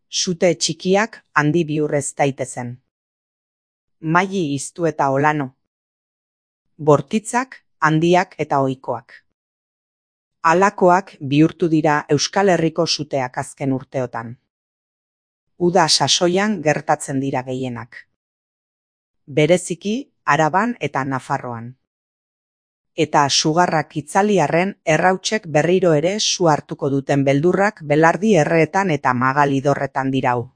sute txikiak handi bihurrez daitezen. Maili iztu eta olano. Bortitzak, handiak eta ohikoak. Halakoak bihurtu dira Euskal Herriko suteak azken urteotan. Uda sasoian gertatzen dira gehienak. Bereziki, Araban eta Nafarroan. Eta sugarrak itzaliarren errautsek berriro ere su hartuko duten beldurrak belardi erreetan eta magalidorretan dirau.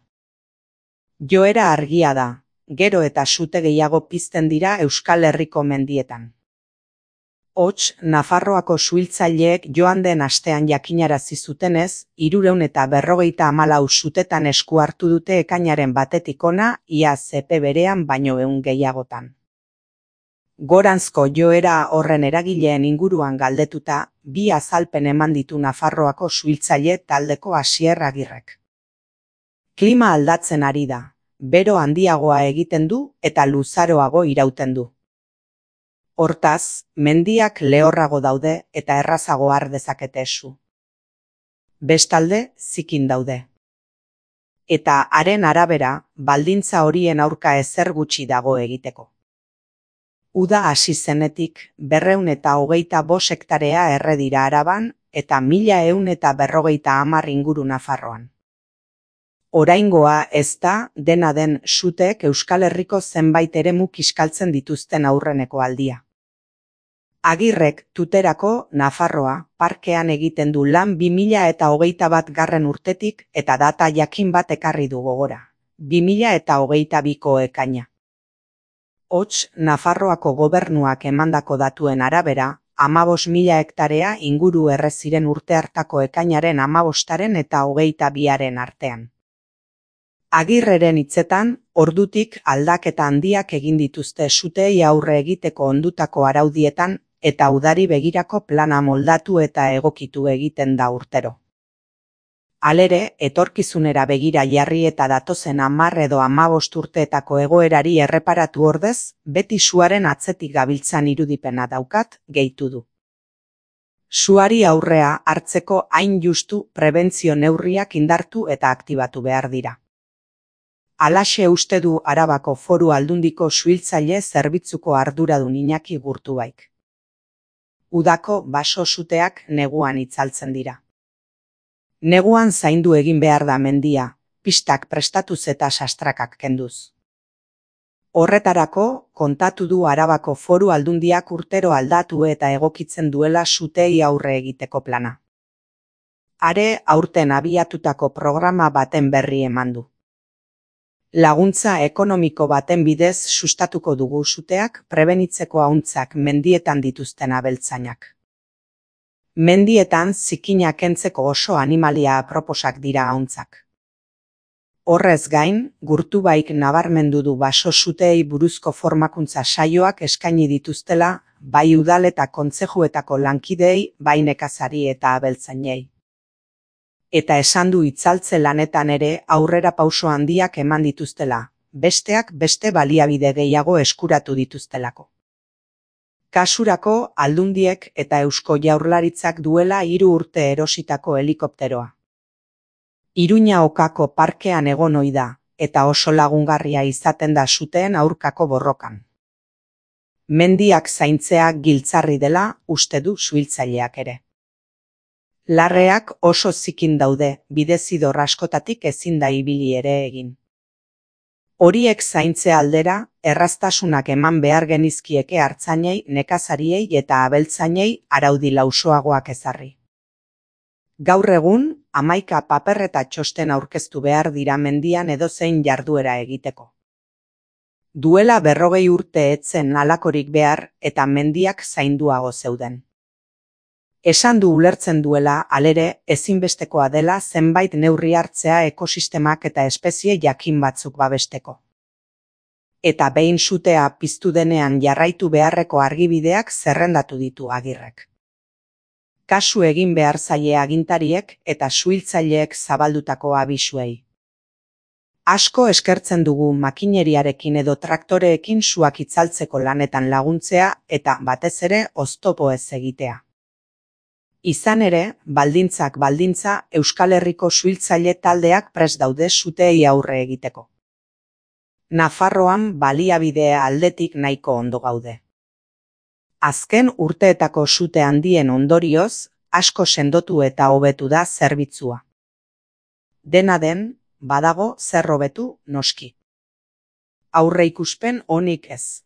Joera argia da, gero eta sute gehiago pizten dira Euskal Herriko mendietan. Hots, Nafarroako suhiltzaileek joan den astean jakinarazi zutenez, 354 sutetan esku hartu dute ekainaren batetik hona, ia epe berean baino 100 gehiagotan. Goranzko joera horren eragileen inguruan galdetuta, 2 azalpen eman ditu Nafarroako suhiltzaile taldeko Asier Agirrek. Klima aldatzen ari da, bero handiagoa egiten du eta luzaroago irauten du. Hortaz, mendiak lehorrago daude eta errazago har dezakete su. Bestalde, zikin daude. Eta haren arabera, baldintza horien aurka ezer gutxi dago egiteko. Uda hasi zenetik 225 hektarea erre dira Araban eta 1150 inguru Nafarroan. Oraingoa ez da, dena den suteek Euskal Herriko zenbait eremu kiskaltzen dituzten aurreneko aldia. Agirrek Tuterako Nafarroa parkean egiten du lan 2021 urtetik eta data jakin bat ekarri du gogora, 2022ko ekaina. Hots, Nafarroako gobernuak emandako datuen arabera, 15.000 hektarea inguru erre ziren urte hartako ekainaren 15 eta 22 artean. Agirreren hitzetan, ordutik aldaketa handiak egin dituzte suteei aurre egiteko ondutako araudietan eta udari begirako plana moldatu eta egokitu egiten da urtero. Halere, etorkizunera begira jarri eta datozen 10 edo 15 urteetako egoerari erreparatu ordez, beti suaren atzetik gabiltzan irudipena daukat, gehitu du. Suari aurrea hartzeko hain justu prebentzio neurriak indartu eta aktibatu behar dira. Halaxe uste du Arabako Foru Aldundiko suhiltzaile zerbitzuko arduradun Iñaki Gurtubaik. Udako baso suteak neguan itzaltzen dira. Neguan zaindu egin behar da mendia, pistak prestatuz eta sastrakak kenduz. Horretarako, kontatu du Arabako Foru Aldundiak urtero aldatu eta egokitzen duela sutei aurre egiteko plana. Are aurten abiatutako programa baten berri eman du. Laguntza ekonomiko baten bidez sustatuko dugu suteak prebenitzeko ahuntzak mendietan dituzten abeltzainak. Mendietan zikina kentzeko oso animalia aproposak dira ahuntzak. Horrez gain, Gurtubaik nabarmendu du baso suteei buruzko formakuntza saioak eskaini dituztela, bai udal eta kontzejuetako lankideei, bai nekazari eta abeltzainei. Eta esan du itzaltze lanetan ere aurrera pauso handiak eman dituztela, besteak beste baliabide gehiago eskuratu dituztelako. Kasurako Aldundiek eta Eusko Jaurlaritzak duela 3 urte erositako helikopteroa. Iruña Okako parkean egon ohi da, eta oso lagungarria izaten da suteen aurkako borrokan. Mendiak zaintzea giltzarri dela uste du suhiltzaileak ere. Larreak oso zikin daude, bidezidor askotatik ezin da ibili ere egin. Horiek zaintze aldera, erraztasunak eman behar genizkieke artzainei, nekazariei eta abeltzainei araudi lausoagoak ezarri. Gaur egun, 11 paper eta txosten aurkeztu behar dira mendian edozein jarduera egiteko. Duela 40 urte etzen halakorik behar eta mendiak zainduago zeuden. Esan du ulertzen duela, halere, ezinbestekoa dela zenbait neurri hartzea ekosistemak eta espezie jakin batzuk babesteko. Eta behin sutea piztu denean jarraitu beharreko argibideak zerrendatu ditu Agirrek. Kasu egin behar zaie agintariek eta suhiltzaileek zabaldutako abisuei. Asko eskertzen dugu makineriarekin edo traktoreekin suak itzaltzeko lanetan laguntzea eta batez ere oztopo ez egitea. Izan ere, baldintzak baldintza Euskal Herriko suhiltzaile taldeak prest daude suteei aurre egiteko. Nafarroan baliabidea aldetik nahiko ondo gaude. Azken urteetako sute handien ondorioz, asko sendotu eta hobetu da zerbitzua. Dena den, badago zer hobetu noski. Aurreikuspen onik ez.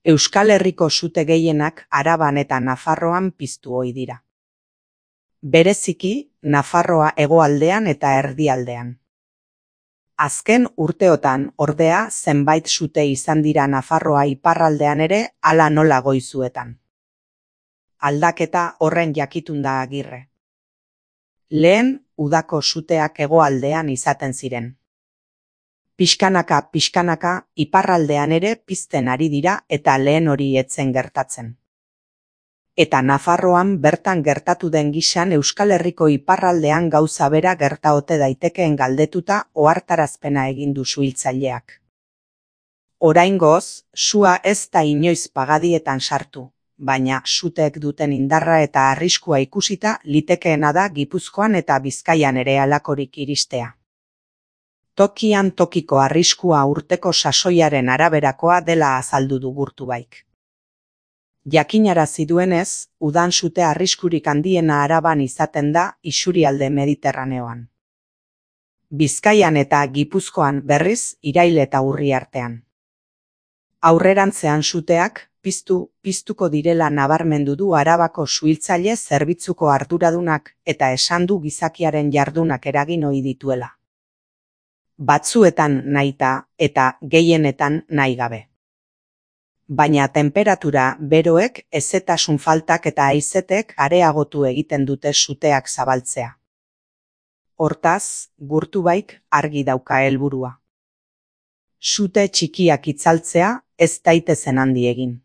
Euskal Herriko sute gehienak Araban eta Nafarroan piztu ohi dira. Bereziki, Nafarroa hegoaldean eta erdialdean. Azken urteotan, ordea, zenbait sute izan dira Nafarroa iparraldean ere hala nola Goizuetan. Aldaketa horren jakitun da Agirre. Lehen, udako suteak hegoaldean izaten ziren. Pixkanaka, iparraldean ere pizten ari dira eta lehen hori etzen gertatzen. Eta Nafarroan bertan gertatu den gisan Euskal Herriko iparraldean gauza bera gertaote daitekeen galdetuta ohartarazpena egin du suhiltzaileak. Oraingoz, sua ez da inoiz pagadietan sartu, baina suteek duten indarra eta arriskua ikusita litekeena da Gipuzkoan eta Bizkaian ere halakorik iristea. Tokian tokiko arriskua urteko sasoiaren araberakoa dela azaldu du Gurtubaik. Jakinarazi duenez, udan sute arriskurik handiena Araban izaten da isurialde Mediterraneoan. Bizkaian eta Gipuzkoan berriz irail eta urri artean. Aurrerantzean suteak piztuko direla nabarmendu du Arabako suhiltzaile zerbitzuko arduradunak eta esan du gizakiaren jardunak eragin ohi dituela. Batzuetan nahita eta gehienetan nahi gabe. Baina temperatura beroek, hezetasun faltak eta haizetek areagotu egiten dute suteak zabaltzea. Hortaz, Gurtubaik argi dauka helburua. Sute txikiak itzaltzea ez daitezen handi egin.